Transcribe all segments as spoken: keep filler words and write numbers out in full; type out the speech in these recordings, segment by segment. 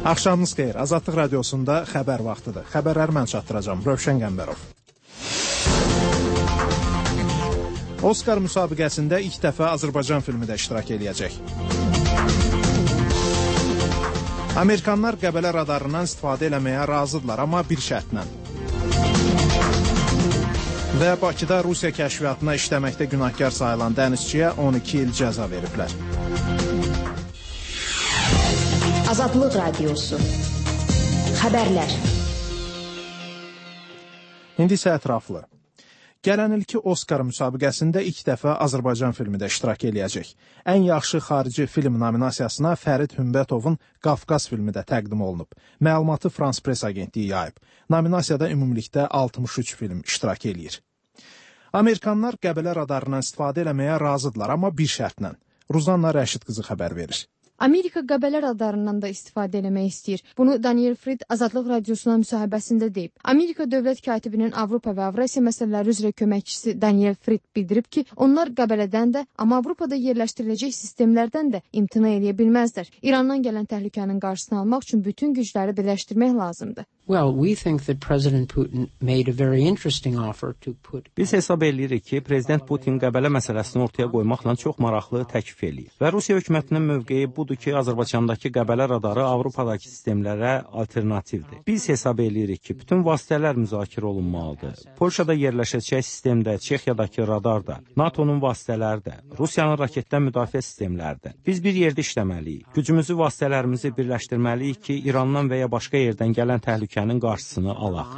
Axşamınız xeyir. Azadlıq radiosunda xəbər vaxtıdır. Xəbərləri mən çatdıracağım. Rövşən Qəmbərov. Oskar müsabiqəsində ilk dəfə Azərbaycan filmi də iştirak eləyəcək. Amerikanlar Qəbələ radarından istifadə eləməyə razıdırlar, amma bir şərtlə. Və Bakıda Rusiya kəşfiyyatına işləməkdə günahkar sayılan dənizçiyə on iki il cəza veriblər. Azadlıq Radiosu. Xəbərlər. İndi isə ətraflı. Gələn ilki Oskar müsabiqəsində ilk dəfə Azərbaycan filmi də iştirak eləyəcək. Ən yaxşı xarici film nominasiyasına Fərid Hümbətovun Qafqaz filmi də təqdim olunub. Məlumatı Frans Press agentliyi yayıb. Nominasiyada ümumilikdə altmış üç film iştirak eləyir. Amerikanlar Qəbələ radarından istifadə eləməyə razıdırlar, amma bir şərtlə. Ruzanna Rəşid qızı xəbər verir. Amerika Qəbələ radarından da istifadə eləmək istəyir. Bunu Daniel Fried Azadlıq Radiosuna müsahibəsində deyib. Amerika dövlət katibinin Avropa və Avrasiya məsələləri üzrə köməkçisi Daniel Fried bildirib ki, onlar Qəbələdən də, amma Avropada yerləşdiriləcək sistemlərdən də imtina edə bilməzlər. İrandan gələn təhlükənin qarşısını almaq üçün bütün gücləri birləşdirmək lazımdır. Well, we think that President Putin made a very interesting offer to put... Biz hesab edirik ki, Prezident Putin Qəbələ məsələsini ortaya qoymaqla çox maraqlı təklif eləyir. Və Rusiya hökumətinin mövqeyi budur ki, Azərbaycandakı Qəbələ radarı Avropadakı sistemlərə alternativdir. Biz hesab edirik ki, bütün vasitələr müzakirə olunmalıdır. Polşada yerləşəcək sistemdə, Çexiyadakı radar da, NATO'nun vasitələri də, Rusiyanın raketdən müdafiə sistemləri də. Biz bir yerdə işləməliyik. Gücümüzü, vasitələrimizi birləşdirməliyik ki, İrandan və ya başqa yerdən gələn təhlükə qarşısını alaq.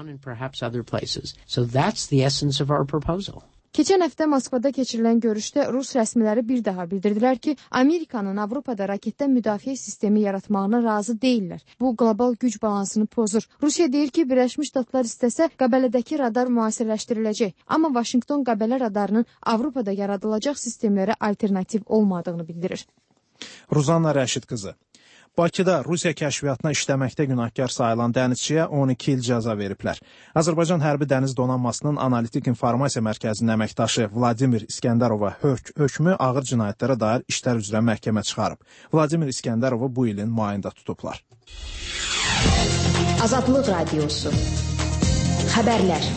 Keçən həftə Moskvada keçirilən görüşdə Rus rəsmiləri bir daha bildirdilər ki, Amerikanın Avropada raketdən müdafiə sistemi yaratmağına razı deyillər. Bu, qlobal güc balansını pozur. Rusiya deyir ki, Birləşmiş Ştatlar istəsə, Qəbələdəki radar müasirləşdiriləcək. Amma Vaşinqton Qəbələ radarının Avropada yaradılacaq sistemlərə alternativ olmadığını bildirir. Ruzanna Rəşid qızı. Bakıda Rusiya kəşfiyyatına işləməkdə günahkar sayılan dənizçiyə on iki il cəza veriblər. Azərbaycan Hərbi Dəniz Donanmasının Analitik İnformasiya Mərkəzinin əməkdaşı Vladimir İskəndərova hök hökmü ağır cinayətlərə dair işlər üzrə məhkəmə çıxarıb. Vladimir İskəndərovu bu ilin mayında tutublar. Azadlıq Radiosu. Xəbərlər.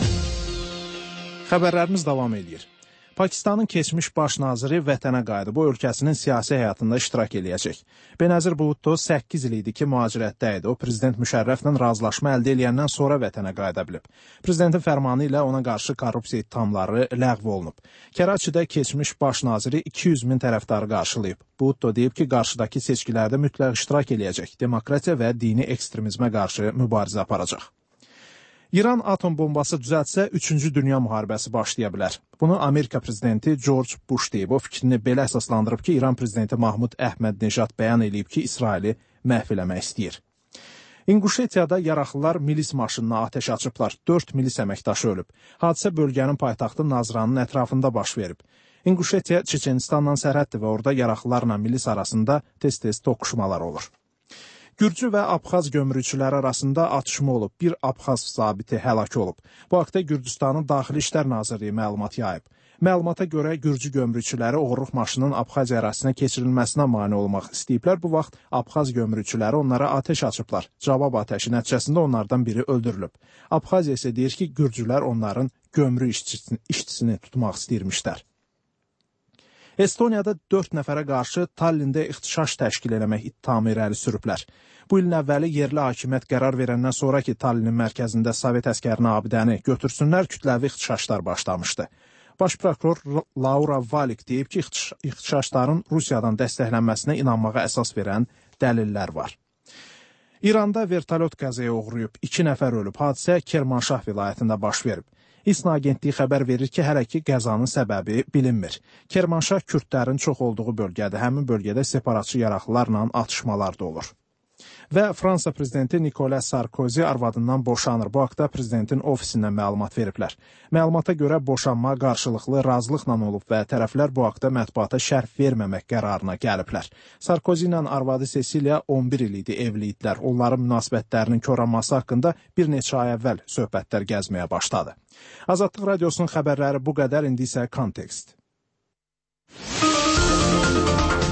Xəbərlərimiz davam edir. Pakistanın keçmiş baş naziri vətənə qayıdıb, o ölkəsinin siyasi həyatında iştirak eləyəcək. Benazir Bhutto səkkiz il idi ki, mühacirətdə idi. O, Prezident Müşərrəflə razılaşma əldə eləyəndən sonra vətənə qayıda bilib. Prezidentin fərmanı ilə ona qarşı korrupsiya ittihamları ləğv olunub. Kəraçidə keçmiş baş naziri iki yüz min tərəfdarı qarşılayıb. Bhutto deyib ki, qarşıdakı seçkilərdə mütləq iştirak eləyəcək. Demokratiya və dini ekstremizmə qarşı mübarizə aparacaq. İran atom bombası düzəltsə, üçüncü dünya müharibəsi başlaya bilər. Bunu Amerika prezidenti George Bush deyib. O fikrini belə əsaslandırıb ki, İran prezidenti Mahmud Əhməd-Nejad bəyan edib ki, İsraili məhv eləmək istəyir. İnquşetiyada yaraxlılar milis maşınına atəş açıblar. Dörd milis əməkdaşı ölüb. Hadisə bölgənin paytaxtı Nazranın ətrafında baş verib. İnquşetiya Çeçenistanla sərhəddir və orada yaraxlılarla milis arasında tez-tez toqquşmalar olur. Gürcü və Abxaz gömrükçüləri arasında atışma olub. Bir Abxaz zabiti həlak olub. Bu haqda Gürcüstanın Daxili İşlər Nazirliyi məlumat yayıb. Məlumata görə Gürcü gömrükçüləri oğurluq maşının Abxaz ərazisinə keçirilməsinə mane olmaq istəyiblər. Bu vaxt Abxaz gömrükçüləri onlara atəş açıblar. Cavab atəşi nəticəsində onlardan biri öldürülüb. Abxaziya isə deyir ki, Gürcülər onların gömrük işçisini, işçisini tutmaq istəyirmişlər. Estoniyada dörd nəfərə qarşı Tallində ixtişaş təşkil eləmək ittihamı irəli sürüblər. Bu ilin əvvəli yerli hakimiyyət qərar verəndən sonra ki, Tallinin mərkəzində Sovet əskərini abidəni götürsünlər, kütləvi ixtişaşlar başlamışdı. Baş prokuror Laura Valik deyib ki, ixtişaşların Rusiyadan dəstəklənməsinə inanmağa əsas verən dəlillər var. İranda vertolyot qəzaya uğrayıb, iki nəfər ölüb. Hadisə Kermanşah vilayətində baş verib. İSNA agentliyi xəbər verir ki, hələ ki qəzanın səbəbi bilinmir. Kermanşah kürdlərin çox olduğu bölgədir. Həmin bölgədə separatçı yaraqlılarla atışmalar da olur. Və Fransa prezidenti Nicolas Sarkozy arvadından boşanır. Bu haqda prezidentin ofisindən məlumat veriblər. Məlumata görə boşanma qarşılıqlı razılıqla olub və tərəflər bu haqda mətbuata şərh verməmək qərarına gəliblər. Sarkozy ilə arvadı Cecilia on bir il idi evli idilər. Onların münasibətlərinin koranması haqqında bir neçə ay əvvəl söhbətlər gəzməyə başladı. Azadlıq Radiosunun xəbərləri bu qədər, indi isə kontekst.